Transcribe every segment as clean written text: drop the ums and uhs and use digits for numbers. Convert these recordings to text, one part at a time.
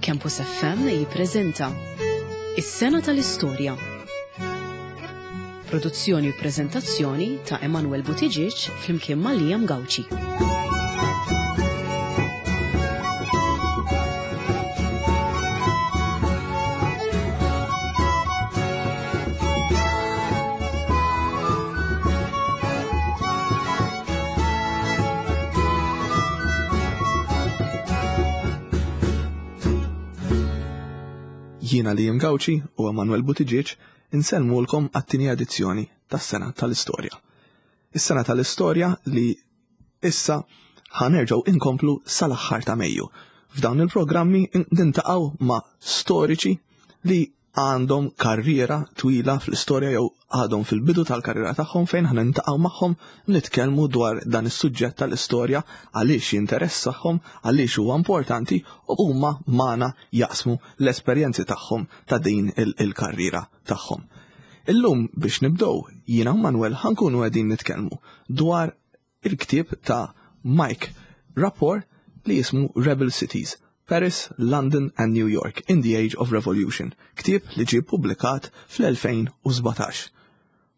Campus FM jippreżenta Is-Sena tal-Istorja. Produzzjoni u preżentazzjoni ta' Emanuel Buttigieg flimkien ma' Liam Gauci. Jiena Liam Gauci u Emanuel Buttigieg insellmulkom għat-tieni edizzjoni tas-Sena tal-Istorja. Is-Sena tal-Istorja li issa ħanerġgħu inkomplu sal-aħħar ta' Mejju. F'dawn il-programmi nintaqgħu ma' storiċi li għandhom karriera twila fl-istorja jew għadhom fil-bidu tal-karriera tagħhom fejn ħa niltaqgħu magħhom nitkellmu dwar dan is-suġġett tal-istorja għaliex jinteressahom, għaliex huwa importanti u huma magħna jaqsmu l-esperjenzi tagħhom ta' din il-karriera tagħhom. Illum biex nibdew jiena u Manuel ħa nkunu qegħdin nitkellmu dwar il-ktieb ta' Mike Rapport li jismu Rebel Cities, Paris, London and New York in the Age of Revolution, ktieb li ġie ppubblikat fl-2017.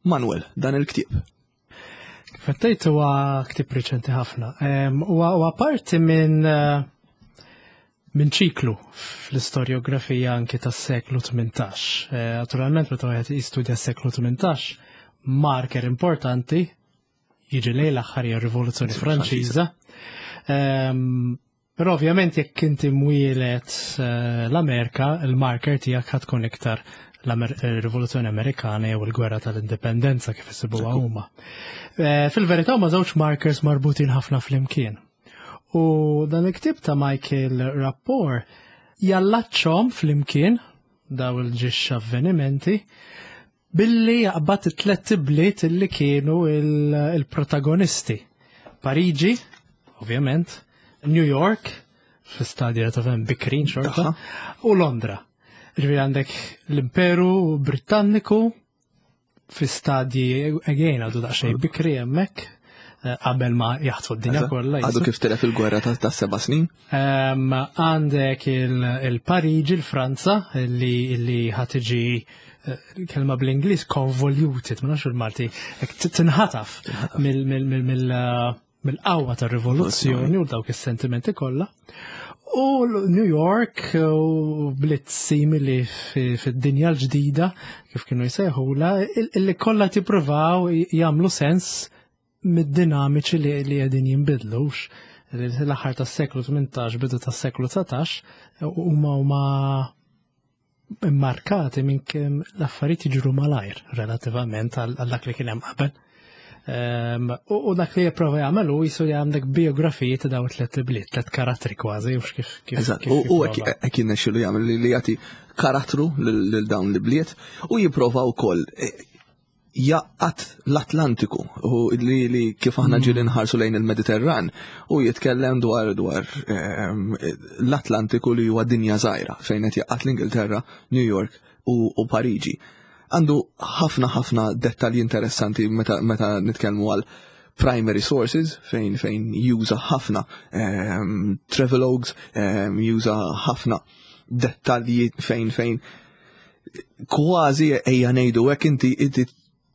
Manuel, dan il-ktieb. Kif qed tgħid huwa ktieb riċenti ħafna. Huwa parti minn eh, minn ċiklu fl-istorjografija anki tas-seklu 18. Eh, naturalment meta wieħed jistudja s-seklu 18, marker importanti jiġi lejn l-aħħar hija r-Rivoluzzjoni Franċiża. Ehm, però ovvjament jekk inti mwielet eh, l-Amerika, il-marker tiegħek ħad tkun iktar l-Rivoluzzjoni Amerikana jew il-Gwerra tal-Indipendenza kif isibuha huma. Eh, fil-verità huma żewġ markers marbutin ħafna flimkien. U dan il-ktieb ta' Michael Rapport jallaċċhom flimkien daw il-ġiex avvenimenti Billi jaqbad it-tlett ibliet illi kienu il-protagonisti. Pariġi, ovvjament, New York, fi stadja ta' fem bikrin xorta, u Londra. Ġifieri għandek l-Imperu Britanniku fi stadji again għadu daqsxejn bikri hemmhekk eh, qabel ma jaħtfu d-dinja kollha. Għadu kif telef il-gwerra ta' seba' snin. Għandek il-Pariġi, il-Franza, li ħatiġi eh, kelma bl-Ingliż convoluted, ma nafx il-Malti, tinħataf mill-qawwa tar-rivoluzzjoni u dawk is-sentimenti kollha. U New York u bliet simili fid-dinja l-ġdida, kif kienu jsejħula, illi kollha tippruvaw jagħmlu sens mid-dinamiċi li qegħdin jinbidlu. L-aħħar tas-seklu 18, bidu tas-seklu 19, huma huma immarkati minn kemm l-affarijiet jiġru malajr relattivament għal dak li kien hemm qabel. Ehm, u dak li jipprova jagħmel hu jisu li għandek biografiji ta' dawn tliet bliet, tliet karattri kważi, u kif kif. Eżatt, u hekk jirnexxielu jagħmel li jagħti karattru lil dawn l-bliet u jipprova wkoll eh, jaqgħad l-Atlantiku u li, li kif aħna mm. ġieli nħarsu lejn il-Mediterran u jitkellem dwar dwar ehm, l-Atlantiku li huwa dinja żgħira fejn qed jaqgħad l-Ingilterra, New York u, u Pariġi. Għandu ħafna ħafna dettalji interessanti meta, meta nitkellmu għal primary sources fejn fejn juża ħafna um, travelogues, um, juża ħafna dettalji fejn fejn kważi ejja ngħidu hekk inti inti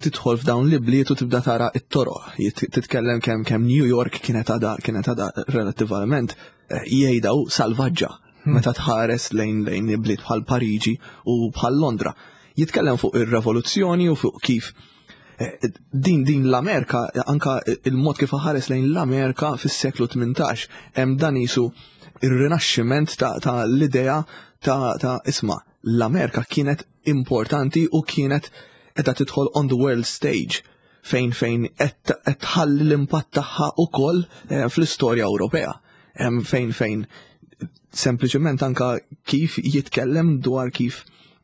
tidħol f'dawn l-ibliet u tibda tara it-toroq, titkellem kemm kemm New York kienet għadha kienet għadha relattivament eh, jgħidaw salvaġġa hmm. meta tħares lejn lejn ibliet bħal Pariġi u bħal Londra. Jitkellem fuq ir-revoluzzjoni u fuq kif eh, din din l-Amerika anka il-mod kif ħares lejn l-Amerika fis-seklu 18 hemm dan isu ir-rinaxximent ta', ta l-idea ta', ta isma' l-Amerika kienet importanti u kienet qiegħda tidħol on the world stage fejn fejn qed tħalli l-impatt tagħha wkoll eh, fl-istorja Ewropea. Fejn fejn sempliċement anka kif jitkellem dwar kif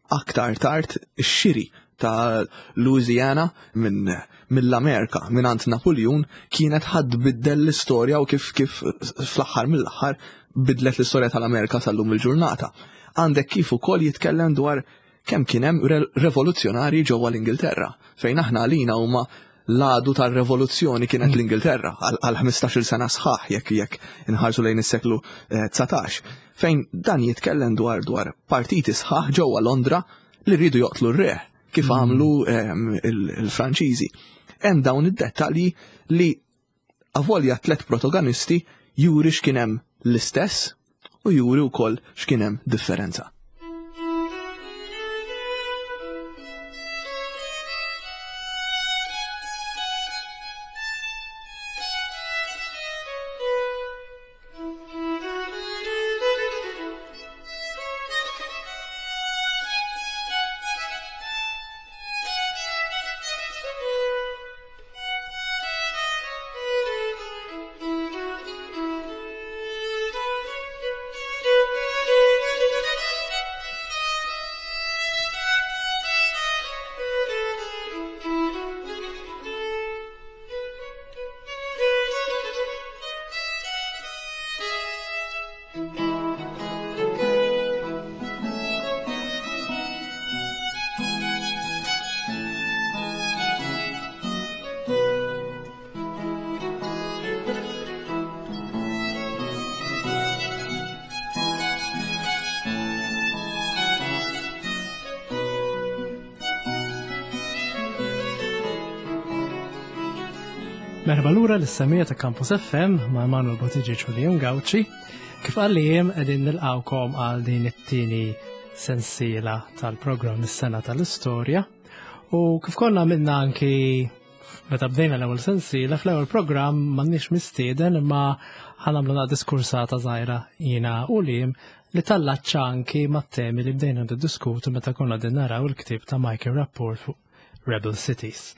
aktar tard ix-xiri ta' Louisiana minn mill-Amerika minn għand Napoleon kienet ħadd biddel l-istorja u kif kif fl-aħħar mill-aħħar bidlet l-istorja tal-Amerika sal-lum il-ġurnata. Għandek kif ukoll jitkellem dwar kemm kien hemm revoluzzjonarji ġewwa l-Ingilterra, fejn aħna għalina huma l-għadu tar-revoluzzjoni kienet mm. l-Ingilterra għal 15-il sena sħaħ jekk jekk inħarsu lejn is-seklu 19. Eh, Fejn dan jitkellem dwar dwar partiti sħaħ ġewwa Londra li rridu joqtlu r-re kif mm. għamlu ehm, il-Franċiżi. Hemm dawn id-dettalji li avolja tlet protagonisti juri x'kien hemm l-istess u juri wkoll x'kien hemm differenza. Merħba lura l-semija ta' Campus FM ma' Emanuel Bottiġi u Leon Gauci. Kif qal li jem qegħdin nilqawkom għal din it-tieni sensiela tal-programm is-sena tal-istorja. U kif konna minna anki meta bdejna l-ewwel sensiela fl-ewwel programm m'għandniex mistieden imma ħanamlu na diskursata żgħira jiena u lim li tallaċċa anki mat-temi li bdejna niddiskutu meta konna din naraw il-ktieb ta' Michael Rapport fuq Rebel Cities.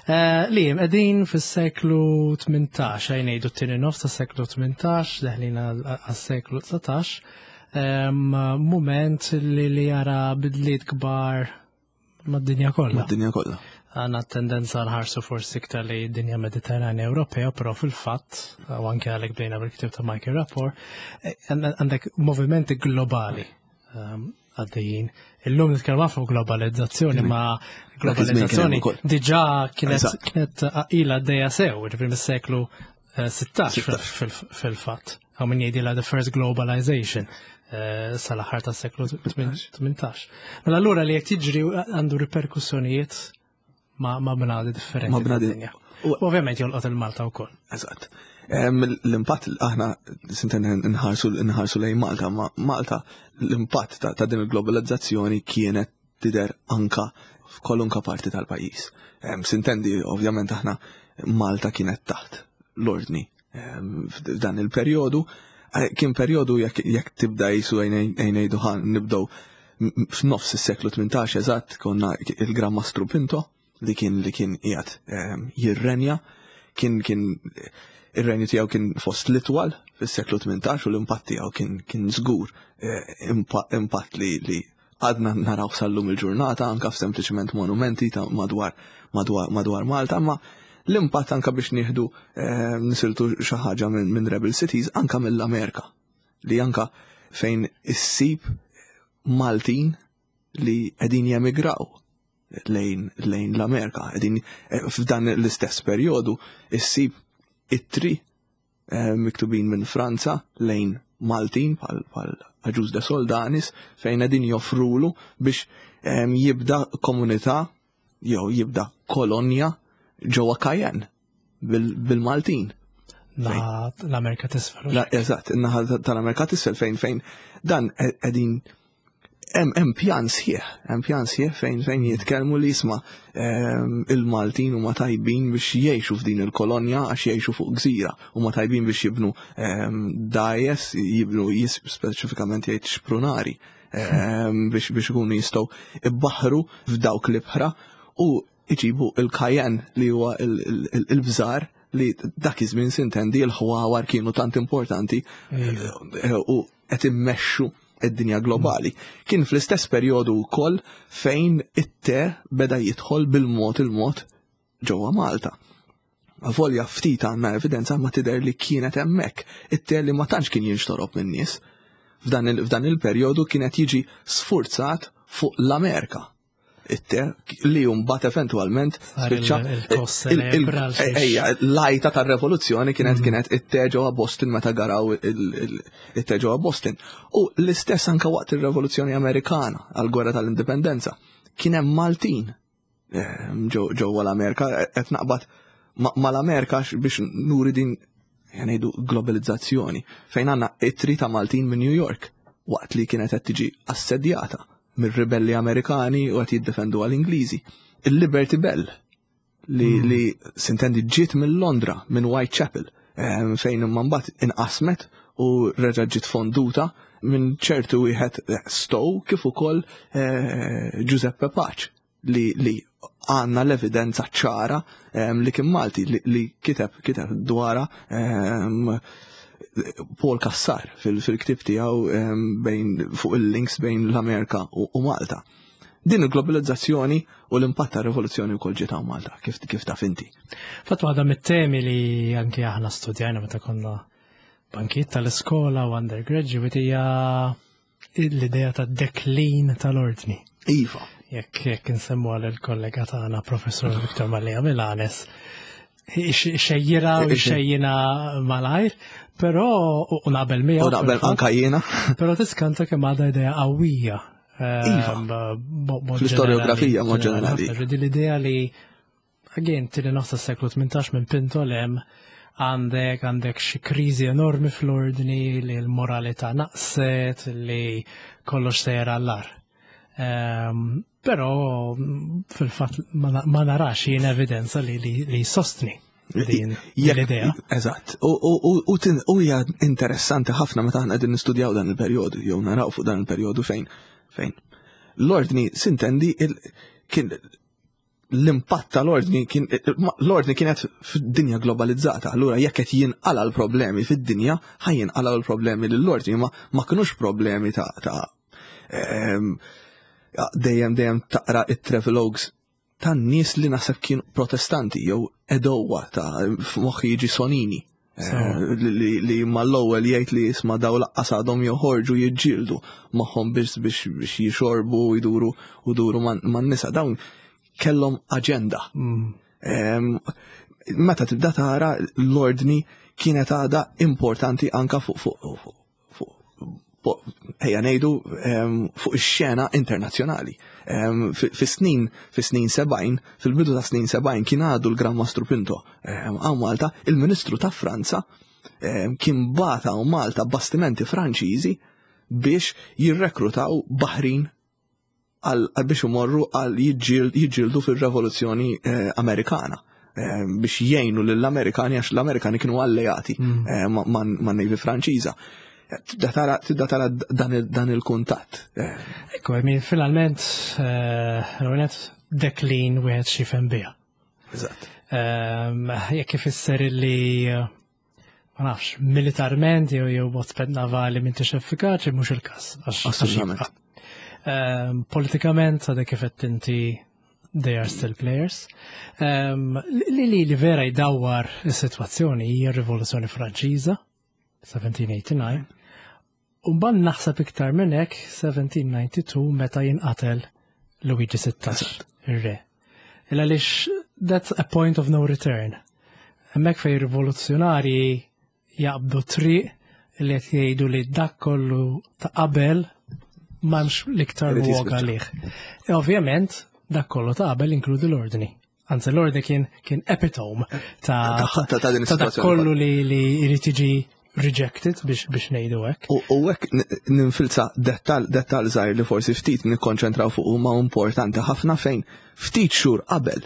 Eh, li jem qegħdin fis-seklu 18, għaj ngħidu t-tieni nofs tas-seklu 18, deħlin għas-seklu 19, moment li li jara bidliet kbar mad-dinja kollha. Mad-dinja kollha. Għandna tendenza nħarsu forsi iktar li dinja Mediterranja Ewropea, però fil-fatt, u anke għalhekk bdejna bil-ktieb ta' Michael Rapport, eh, għandek movimenti globali għaddejjin. Illum nitkellmu fuq globalizzazzjoni, ma globalizzazzjoni diġà kienet kienet ila għaddejja sew, ġifieri mis-seklu 16 eh, fil-fatt. Għaw min jgħidilha the first globalization eh, sal-aħħar tas-seklu 18. Mela allura li qed jiġri għandu riperkussjonijiet ma' bnadi differenti. Ma' bnadi. U ovvjament jolqot il-Malta wkoll. Eżatt. L-impatt aħna sinten nħarsu nħarsu lejn Malta, ma Malta l-impatt ta' din il-globalizzazzjoni kienet tidher anka f'kolunka parti tal-pajjiż. Sintendi ovvjament aħna Malta kienet taħt l-ordni f'dan il-perjodu. Eh, kien perjodu jekk tibda jisu għajnejdu ħan nibdew f'nofs is-seklu 18 eżatt konna il-Gran Mastru Pinto li kien li kien qiegħed ehm, jirrenja, kien kien ir-renju tiegħu kien fost l-itwal fis-seklu 18 u l-impatt tiegħu kien kien żgur eh, impatt li li għadna naraw sal-lum il-ġurnata anka f'sempliċement monumenti ta' madwar madwar madwar Malta, ma l-impatt anka biex nieħdu eh, nisiltu xi ħaġa minn Rebel Cities anka mill-Amerika li anka fejn issib Maltin li qegħdin jemigraw lejn lejn l-Amerika, qegħdin eh, f'dan l-istess perjodu issib ittri eh, miktubin minn Franza lejn Maltin bħal bħal Aġuż de Soldanis fejn qegħdin joffrulu biex eh, jibda komunità jew jibda kolonja ġewwa Cayenne bil-Maltin. L-Amerika t'isfel. Eżatt, in-naħa tal-Amerika t'isfel fejn fejn dan qegħdin hemm pjan sħiħ, hemm pjan sħiħ fejn fejn jitkellmu li jisma' ehm, il-Maltin huma tajbin biex jgħixu f'din il-kolonja għax jgħixu fuq gżira, huma tajbin biex jibnu ehm, dajes, jibnu speċifikament jgħid xprunari ehm, biex biex ikunu jistgħu ibbaħru f'dawk l-ibħra u iġibu il-kajen li huwa il-bżar li dak iż-żmien sintendi l-ħwawar kienu tant importanti eh, u qed immexxu id-dinja globali. Kien fl-istess perjodu wkoll fejn it-te beda jidħol bil-mod il-mod ġewwa Malta. Avolja ftit għandna evidenza ma tidher li kienet hemmhekk. It-te li ma tantx kien jinxtorob min-nies. F'dan il-perjodu kienet jiġi sfurzat fuq l-Amerika. it-te li mbagħad eventwalment spiċċa ejja l-għajta tar-revoluzzjoni kienet kienet it-te ġewwa Boston meta garaw it-te ġewwa Boston. U l-istess anke waqt ir-Revoluzzjoni Amerikana għall-Gwerra tal-Indipendenza kien hemm Maltin ġewwa l-Amerika, qed naqbad mal-Amerika biex nuri din ngħidu globalizzazzjoni, fejn għandna ittri ta' Maltin minn New York waqt li kienet qed tiġi assedjata mir-ribelli Amerikani u qed jiddefendu għall-Ingliżi. Il-Liberty Bell li, li sintendi ġiet minn Londra, minn Whitechapel, fejn imma mbagħad inqasmet u reġa' ġiet fonduta minn ċertu wieħed Stowe kif ukoll Giuseppe Pace li għanna l-evidenza ċara li kien Malti li kiteb dwara Paul Cassar fil-ktib tiegħu bejn fuq il-links bejn l-Amerika u Malta. Din il-globalizzazzjoni u l-impatt ta' rivoluzzjoni wkoll ġiet hawn Malta, kif taf inti. Fatt waħda mit-temi li anke aħna studjajna meta konna bankiet tal-iskola u undergraduate hija l-idea ta' deklin tal-ordni. Iva. Jekk insemmu għal il-kollega tagħna Professor Victor Mallia Milanes, xejjira u xejjina malajr, però u naqbel miegħu. U naqbel anka jiena. Però tiskanta kemm għadha idea qawwija. Iva. Fl-istoriografija mod ġenerali. L-idea li again, tieni nofs tas-seklu 18 minn Pinto lem għandek xi kriżi enormi fl-ordni, li l-moralità naqset, li kollox sejjer għall-agħar. Però fil-fatt ma narax jien evidenza li sostni din l-idea. Eżatt. U hija interessanti ħafna meta aħna qegħdin nistudjaw dan il-perjodu, jew naraw fuq dan il-perjodu fejn l-ordni sintendi kien l-impatt tal-ordni kien l-ordni kienet fid-dinja globalizzata. Allura jekk qed jinqala l-problemi fid-dinja, ħa jinqala l-problemi lill-ordni, ma kinux problemi ta' dejjem taqra it-travelogues tan-nies li naħseb kienu protestanti jew edowa ta' f'moħħi jiġi Sonini. Li mal-ewwel jgħid li jisma' daw laqqas għadhom joħorġu jiġġieldu magħhom biex jixorbu u jduru u duru man-nisa. Dawn kellhom aġenda. Meta tibda tara l-ordni kienet għadha importanti anka fuq ejja ngħidu fuq ix-xena internazzjonali. Fis-snin 70, fil-bidu ta' snin 70 kien għadu l-Gran Mastru Pinto hawn Malta, il-Ministru ta' Franza kien bata hawn Malta bastimenti Franċiżi biex jirrekrutaw baħrin għal biex imorru għal jiġġieldu fil-Revoluzzjoni Amerikana biex jgħinu lill-Amerikani għax l-Amerikani kienu alleati man Navy Franċiża. Tibda tara dan il-kuntatt. Ekku, I mean, finalment, l-għonet deklin wieħed xifem biha. Eżatt. Jekk ifisser li ma nafx, militarment jew bot navali m'intix effikaċi, mhux il-każ. Assolutament. Politikament, għadek kif qed inti, they are still players. Li vera jdawwar is-sitwazzjoni hija r-Rivoluzzjoni Franċiża, 1789. U mbagħad naħseb iktar minn hekk 1792 meta jinqatel Luigi 16, ir-re. Il għaliex that's a point of no return. Hemmhekk fejn rivoluzzjonarji jaqbdu triq li qed jgħidu li dak kollu ta' qabel m'hemmx l-iktar Irid lok jispiċċa. għalih. E ovvjament dak kollu ta' qabel inkludi l-ordni. Anzi, l-ordni kien epitome Ta' din ta' dak is-sitwazzjoni kollu li jrid jiġi rejected biex ngħidu hekk. U hekk ninfilza dettal żgħir li forsi ftit nikkonċentraw fuq huma importanti ħafna fejn ftit xhur qabel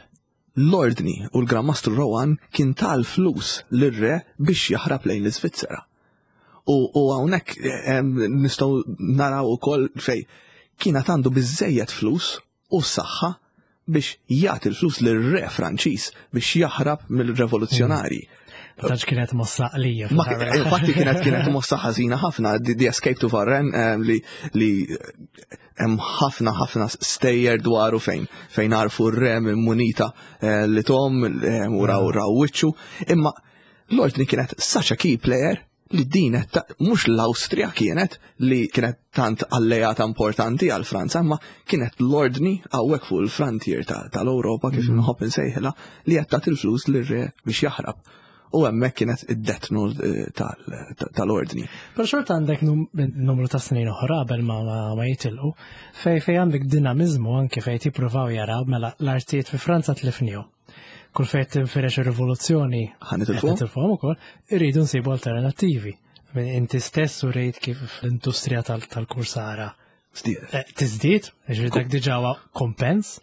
l-ordni u l-Gran Mastru Rohan kien tal-flus lir-re biex jaħrab lejn l-Iżvizzera. U hawnhekk nistgħu naraw ukoll fej kien għandu biżejjed flus u saħħa biex jagħti l-flus lir-re Franċiż biex jaħrab mill-revoluzzjonari. Ma tantx kienet mossa għalija. Ma infatti kienet mossa ħażina ħafna, the Escape to Varennes, li hemm ħafna ħafna stejjer dwaru fejn għarfu r-re minn munita li tom u raw wiċċu, imma l-ordni kienet such a key player. li din mhux l-Awstrija kienet li kienet tant alleata importanti għal Franza, imma kienet l-ordni hawnhekk fuq il-frontier tal-Ewropa kif mm. nħobb insejħilha li qed tagħti l-flus lir-re biex jaħrab. U hemmhekk kienet id-death eh, tal-ordni. Però xorta għandek numru ta' snin oħra qabel ma jitilqu, fej fej għandek dinamizmu anke fej tippruvaw jaraw mela l-artijiet fi Franza tlifnihom. Kull fejn tinfirex ir-rivoluzzjoni ħanitilfuhom ukoll, irridu nsibu alternattivi. Inti stess u rejt kif l-industrija tal-kursara eh, tiżdied, ġifieri dak diġà huwa kompens.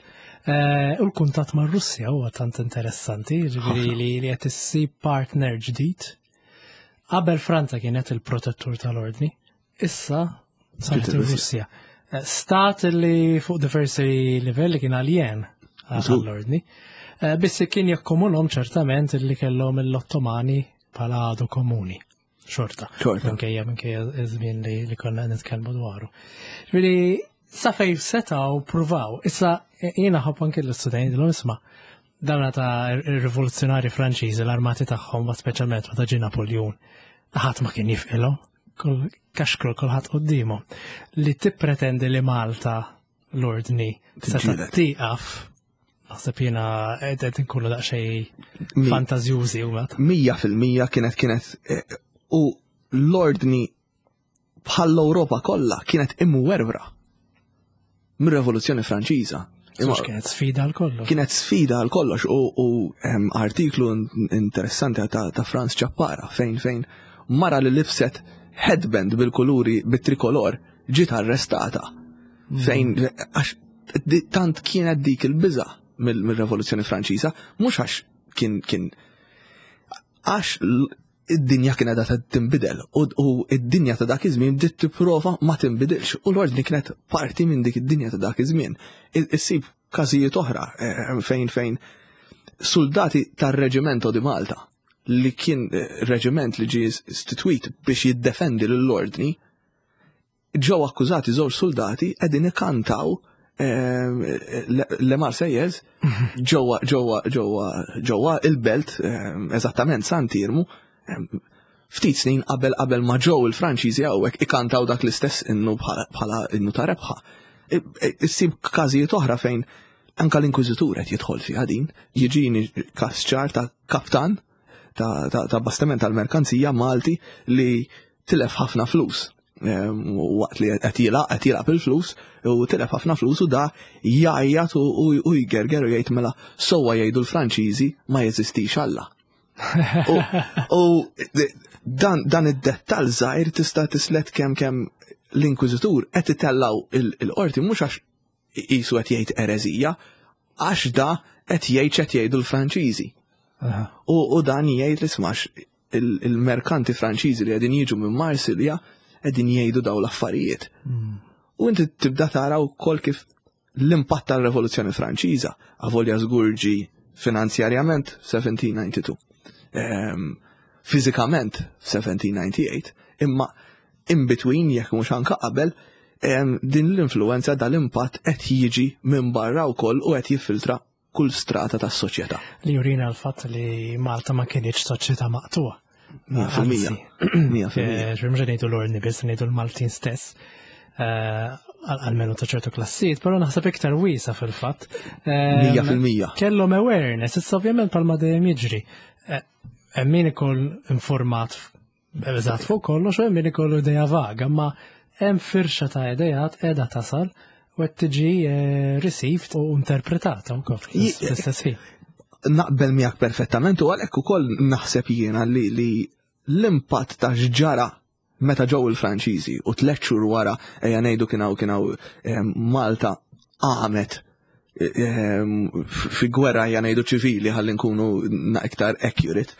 Eh, u l-kuntatt mar Russja huwa tant interessanti, ġifieri li qed issib partner ġdid. Qabel Franza kienet il-protettur tal-ordni, issa saret ir-Russja. Eh, stat li fuq diversi livelli kien aljen għall-ordni. Eh, biss kien jakkomunhom ċertament li kellhom l-Ottomani bħala għadu komuni. Xorta. Xorta. Minkejja minkejja iż-żmien li, li konna nitkellmu dwaru. Ġifieri sa fej setgħu pruvaw. Issa jiena ħobb anke l-istudenti l isma' dawna ta' rivoluzzjonari Franċiżi l-armati tagħhom, speċjalment meta ġie Napoljun, ħadd ma kien jifqilhom kaxkru kulħadd quddiemu li tippretendi li Malta l-ordni seta' tieqaf naħseb jiena qed inkunu daqsxejn fantażjużi u 100% kienet kienet eh, u l-ordni bħall-Ewropa kollha kienet imwerwra mir-Revoluzzjoni Franċiża. Imma kienet sfida għal kollox. Kienet sfida għal kollox u, u artiklu interessanti ta', ta Franz Ċappara fejn fejn mara li libset headband bil-kuluri bit-trikolor ġiet arrestata. Mm. Fejn għax tant kienet dik il-biża mill-Revoluzzjoni Franċiża, mhux għax kien kien għax id-dinja kienet qed tinbidel u id-dinja ta' dak iż-żmien bdiet tipprova ma tinbidilx u l-ordni kienet parti minn dik id-dinja ta' dak iż-żmien. Issib każijiet oħra eh, fejn fejn soldati tar-Reġimento di Malta li kien eh, reġiment li ġie istitwit biex jiddefendi lill-ordni ġew akkużati żewġ soldati qegħdin ikantaw ehm, Le Marseillaise ġewwa ġewwa ġewwa ġewwa il-belt ehm, eżattament Sant'Irmu ehm, ftit snin qabel qabel ma ġew il-Franċiżi hawnhekk ikantaw dak l-istess innu bħala innu ta' rebħa. Issib każijiet oħra fejn anka l-Inkwiżitur qed jidħol fiha din, jiġini każ ċar ta' kaptan ta' bastiment tal-merkanzija Malti li tilef ħafna flus ehm, waqt li qed jilgħab qed jilgħab il-flus u tilef ħafna flus u da jgħajjat u jgerger u jgħid mela sewwa jgħidu l-Franċiżi ma jeżistix Alla. U dan, dan id-dettall żgħir tista' tislet kemm kemm l-inkwiżitur qed itellaw il-qorti mhux għax qisu qed jgħid ereżija, għax da qed jgħid x'qed jgħidu l-Franċiżi. U, dan jgħid li smax il-merkanti Franċiżi li qegħdin jiġu minn Marsilja qegħdin jgħidu daw l-affarijiet. Hmm. U inti tibda tara wkoll kif l-impatt tal-Revoluzzjoni Franċiża avolja żgur ġi finanzjarjament 1792. Ehm, fiżikament 1798, imma in between jekk mhux anka qabel din l-influenza dal-impatt qed jiġi minn barra wkoll u qed jiffiltra kull strata tas-soċjetà. Li jurina l-fatt li Malta ma kienx soċjetà maqtuha. 100%. 100%. Eh, mhux ngħidu l-ordni biss, ngħidu l-Maltin stess. Eh, għalmenu ta' ċertu klassijiet, però naħseb iktar wiesa fil-fatt. Eh, 100%. Kellhom awareness, issa ovvjament palma dejjem jiġri. Hemm min ikun informat Eżatt fuq kollox u hemm min ikollu idea vaga, ma hemm firxa ta' idejat qiegħda tasal u qed tiġi eh, received u interpretata wkoll fl-istess ħin. Naqbel miegħek perfettament u għalhekk ukoll naħseb jiena li, li l-impatt ta' x'ġara meta ġew il-Franċiżi u tliet xhur wara ejja ngħidu kien hawn kien hawn eh, Malta qamet eh, fi gwerra ejja ngħidu ċivili ħalli nkunu iktar accurate.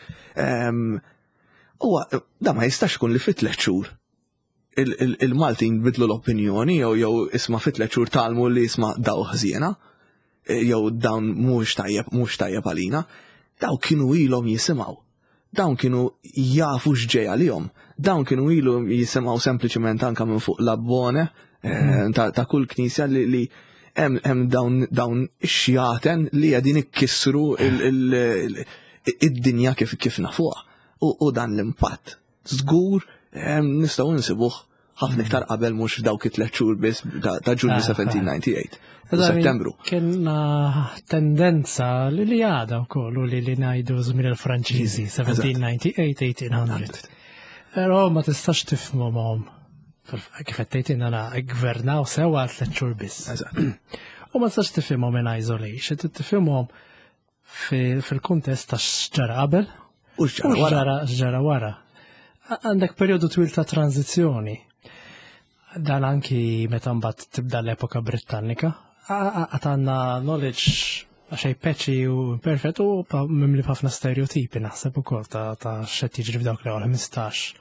Huwa da ma jistax ikun li fit tliet xhur il-Maltin bidlu l-opinjoni jew jew isma' fit tliet xhur talmu li isma' daw ħżiena e, jew dawn mhux tajjeb mhux tajjeb għalina. Daw kienu ilhom jisimgħu. Dawn kienu jafu x'ġej għalihom. Dawn kienu ilhom jisimgħu sempliċement anka minn fuq l-abbone e, hmm. ta' kull knisja li hemm dawn dawn ix-xjaten li qegħdin ikkissru id-dinja kif kif nafuha. U dan l-impatt. żgur nistgħu nsibuh ħafna iktar qabel mhux dawk it-tliet xhur biss ta' Ġunju 1798. Ah, ah. Settembru. Kienna tendenza li li għada wkoll u li li ngħidu żmien il-Franċiżi 1798 1800. Però ma tistax tifhomhom kif qed tgħid għana gvernaw sewa għal tliet xhur biss. U ma tistax tifhimhom in isolation, tifhimhom fil-kuntest ta' x'ġara qabel u x'ġara wara. Għandek perjodu twil ta' tranzizzjoni. Dan anki meta mbagħad tibda l-epoka Britannika. Għad għandna knowledge għaxej peċi u perfett u mimli ħafna stereotipi naħseb ukoll ta' x'qed jiġri f'dawk l-ewwel 15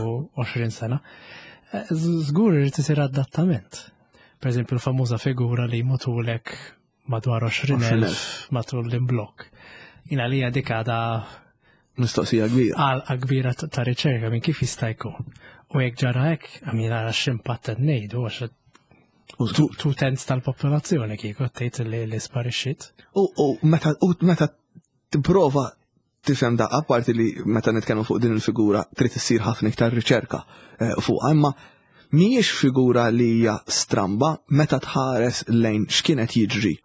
u 20 sena. Eh, żgur irid isir adattament. Per eżempju l-famuża figura li mutulek madwar 20,000 matul l-imblok. Jina li dik għada mistoqsija kbira. Għalqa kbira ta' riċerka minn kif jista' jkun. U jekk ġara hekk, għamil għara x'impatt qed ngħidu għax tu tenz tal-popolazzjoni kieku tgħid li li sparixxiet. U meta u meta tipprova tifhem da apparti li meta nitkellmu fuq din il-figura trid issir ħafna iktar riċerka eh, fuqha, imma mhijiex figura li hija stramba meta tħares lejn x'kienet jiġri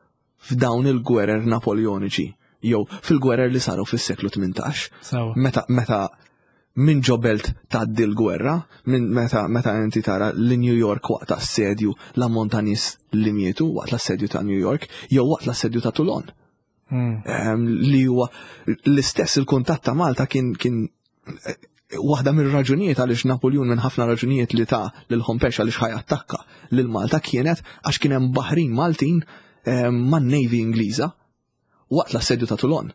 f'dawn il-gwerer Napoleoniċi jew fil-gwerer li saru fis-seklu 18. Meta meta minn ġo belt tgħaddi l-gwerra, minn meta meta inti tara li New York waqt assedju l-ammont ta' nies li mietu waqt l-assedju ta' New York jew waqt l-assedju ta' Toulon. Hmm. Li huwa l-istess il-kuntatt ta' Malta kien kien eh, waħda mir-raġunijiet għaliex Napoljun minn ħafna raġunijiet li ta' lil Hompex għaliex ħaj attakka lil Malta kienet għax kien hemm baħrin Maltin man-Navy Ingliża waqt l-assedju ta' Toulon.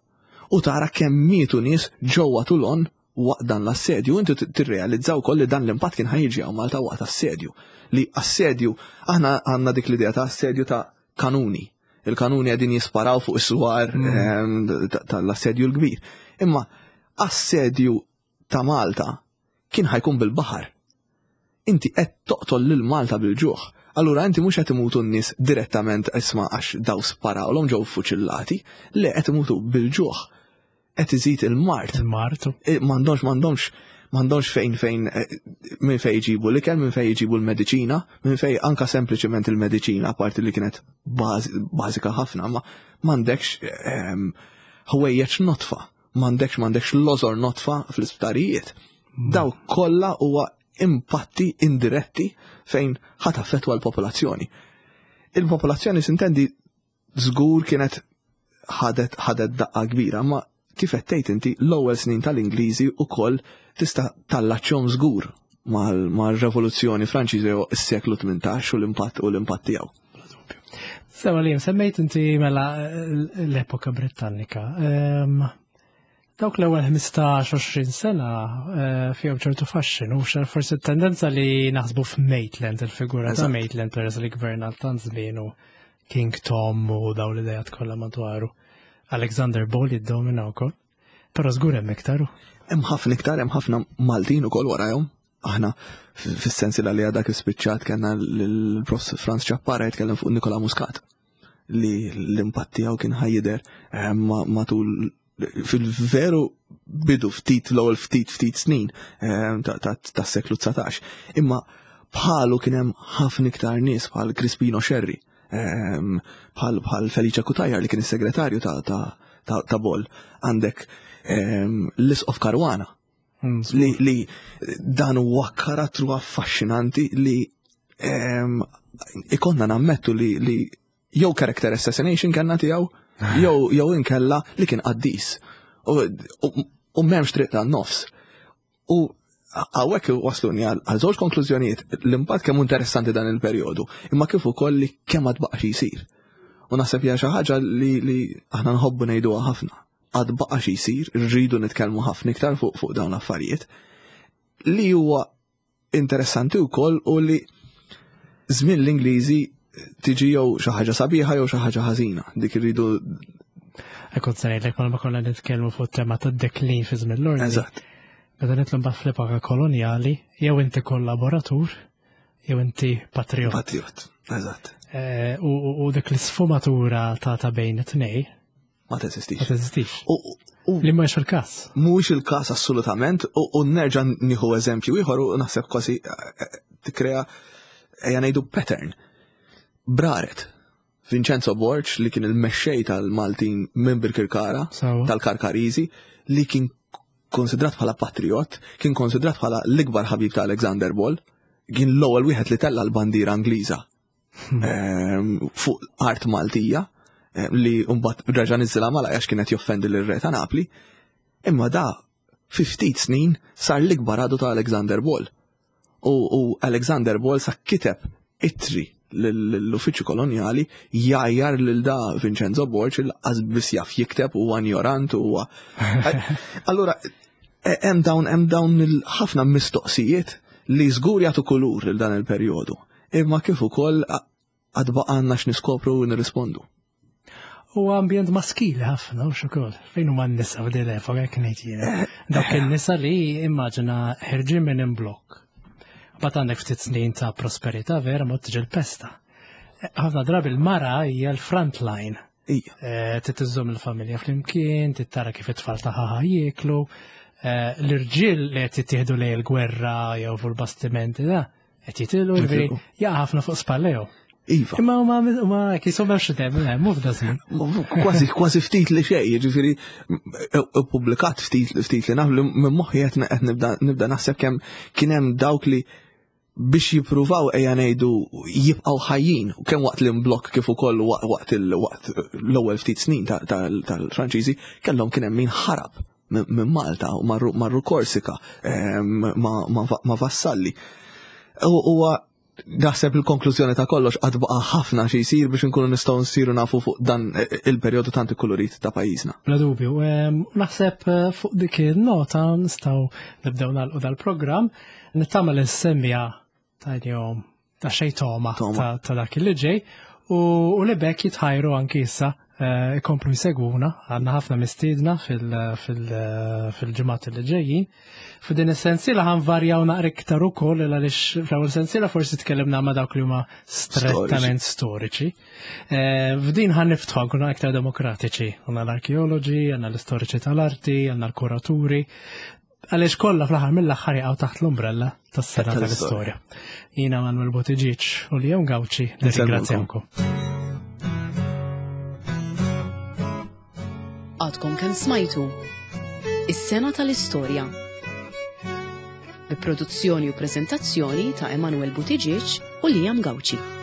U tara kemm mietu nies ġewwa Toulon waqt dan l-assedju, inti tirrealizza wkoll li dan l-impatt kien ħajġi hawn Malta waqt assedju. Li assedju, aħna għandna dik l-idea ta' assedju ta' kanuni. Il-kanuni qegħdin jisparaw fuq is-swar mm. ehm, tal-assedju l-kbir. Imma assedju ta' Malta kien ħajkun bil-baħar. Inti qed toqtol lil Malta bil-ġuħ. Allura inti mhux qed imutu n-nies direttament isma' għax daw sparawlhom ġew fuċillati, le qed imutu bil-ġuħ. Qed iżid il-mard. Il-mard. Eh, m'għandhomx m'għandhomx m'għandhomx fejn fejn eh, minn fejn jġibu l-ikel, minn fejn jġibu l-mediċina, minn fejn anka sempliċement il-mediċina, parti li kienet bażika ħafna, ma m'għandekx ehm, ħwejjeġ notfa, m'għandekx m'għandekx lożor notfa fl-isptarijiet. Mm. Daw kollha huwa impatti indiretti fejn ħat affettwa l-popolazzjoni. Il-popolazzjoni sintendi żgur kienet ħadet ħadet daqqa kbira, ma kif qed tgħid inti l-ewwel snin tal-Ingliżi wkoll tista' tallaċċhom żgur mal-Revoluzzjoni Franċiża jew is-seklu 18 u l-impatt u l-impatt tiegħu. Sewa li semmejt inti mela l-epoka Britannika. Ehm, Dawk l-ewwel 15-20 sena eh, fihom ċertu faxxinu, forsi tendenza li naħsbu f'Maitland, il-figura ta' Maitland peress li gverna tant żmien u King Tom u daw l-idejat kollha madwaru. Alexander Ball jiddomina wkoll. Però żgur hemm iktar. Hemm ħafna iktar, hemm ħafna Maltin ukoll warajhom. Aħna fis-sensi li għadak ispiċċat kellna l-Prof Franz Ċappara jitkellem fuq Nikola Muscat li l-impatt tiegħu kien ħajjider eh, matul fil-veru bidu ftit l-ewwel ftit ftit snin eh, tas-seklu 19. Imma bħalu kien hemm ħafna iktar nies bħal Crispino Scerri, eh, bħal bħal Felice Cutajar li kien is-segretarju ta' Boll, għandek l-Isqof Caruana mm, li, li dan huwa karattru affaxxinanti li ikonna nammettu li, li jew character assassination kellna tiegħu, jew jew inkella li kien qaddis. U, u, u m'hemmx triq tan-nofs. U għawek wasluni għal żewġ konklużjonijiet l-impatt kemm interessanti dan il-perjodu, imma kif ukoll li kemm għad baqa' xi jsir. U naħseb hija xi ħaġa li, li aħna nħobbu ngħiduha ħafna. Għad baqa' xi jsir, rridu nitkellmu ħafna iktar fuq fuq dawn l-affarijiet. Li huwa interessanti wkoll u li żmien l-Ingliżi tiġi jew xi ħaġa sabiħa jew xi ħaġa ħażina. Dik irridu Kont se ngħidlek ma konna nitkellmu fuq tema tad-deklin fi żmien l-ordni. Eżatt. Meta nitlu mbagħad fl-epoka kolonjali, jew inti kollaboratur, jew inti patriot. Patriot, eżatt. Eh, u dik l-isfumatura ta' ta' bejn it-tnej Ma teżistix. Ma teżistix. Li mhuwiex il-każ. Mhuwiex il-każ assolutament u nerġa' nieħu eżempju ieħor u naħseb kważi eh, eh, tikkrea ejja ngħidu pattern. Braret. Vincenzo Borg li kien il-mexxej tal-Maltin minn Birkirkara, tal-Karkariżi, li kien konsidrat bħala patriot, kien konsidrat bħala l-ikbar ħabib ta' Alexander Ball, kien l-ewwel wieħed li tella l-bandiera Ingliża fuq art Maltija ehm, li mbagħad reġa' niżilha malajr għax kienet joffendi lir-re ta' Napli. Imma da fi ftit snin sar l-ikbar għadu ta' Alexander Ball. U, u Alexander Ball sa kiteb ittri l-uffiċċju kolonjali jgħajjar lil da Vincenzo Borg il biss jaf jikteb u ignorant u Allura e, hemm dawn hemm dawn il-ħafna mistoqsijiet li żgur jagħtu kulur lil dan il-perjodu imma kif ukoll għad baqgħalna x'niskopru u nirrispondu. U ambjent maskili ħafna u xukol. Fejn huma n-nisa f'din l-epoka jekk ngħid jiena. Dawk in-nisa li immaġina ħerġin minn imblokk. Mbagħad għandek ftit snin ta' prosperità vera ma tiġi l-pesta. Ħafna drabi l-mara hija l-front line. Eh, titiżżomm il-familja flimkien, tittara kif it-tfal tagħha jieklu. Eh, l-irġiel li qed jittieħdu lejn il-gwerra jew fuq il-bastimenti da, Qed jitilgħu ġifieri jaqa' ħafna fuq spallejhom. Iva. Imma huma huma kieshom hemmx dem, eh, mhu f'da żmien. Kważi kważi ftit li xejn, jiġifieri ippubblikat ftit ftit li naf li minn moħħi qed nibda nibda naħseb kemm kien hemm dawk li biex jippruvaw ejja ngħidu jibqgħu ħajjin kemm waqt l-imblokk kif ukoll waqt l-ewwel ftit snin tal-Franċiżi kellhom kien hemm min ħarab minn Malta u marru Korsika ehm, ma' Vassalli. Huwa naħseb il-konklużjoni ta' kollox għad baqa' ħafna xi jsir biex inkunu nistgħu nsiru nafu fuq dan il-perjodu tant ikkulurit ta' pajjiżna. Bla dubju, ehm, naħseb eh, fuq dik il-nota nistgħu nibdew nagħlqu dal-programm, nittama li semmija tajnihom ta' xej toma ta' dak li ġej u li bekk jitħajru anki issa eh, ikomplu jsegwuna għandna ħafna mistiedna fil-ġimgħat li ġejjin. F'din is-sensiela ħan varjaw naqra iktar ukoll għaliex fl-ewwel sensiela forsi tkellimna ma' dawk li huma strettament storiċi. Eh, f'din ħan niftħu nkunu aktar demokratiċi. Għandna l-arkeoloġi, għandna l-istoriċi tal-arti, għandna l-kuraturi. Għaliex kollha fl-aħħar mill-aħħar jaqgħu taħt l-umbrella tas-sena tal-istorja. Jiena Manuel Buttigieg u Leon Gauci nirringrazzjawkom. Għadkom kemm smajtu Is-sena tal-istorja. Bi produzzjoni u preżentazzjoni ta' Emanuel Buttigieg u Liam Gauci.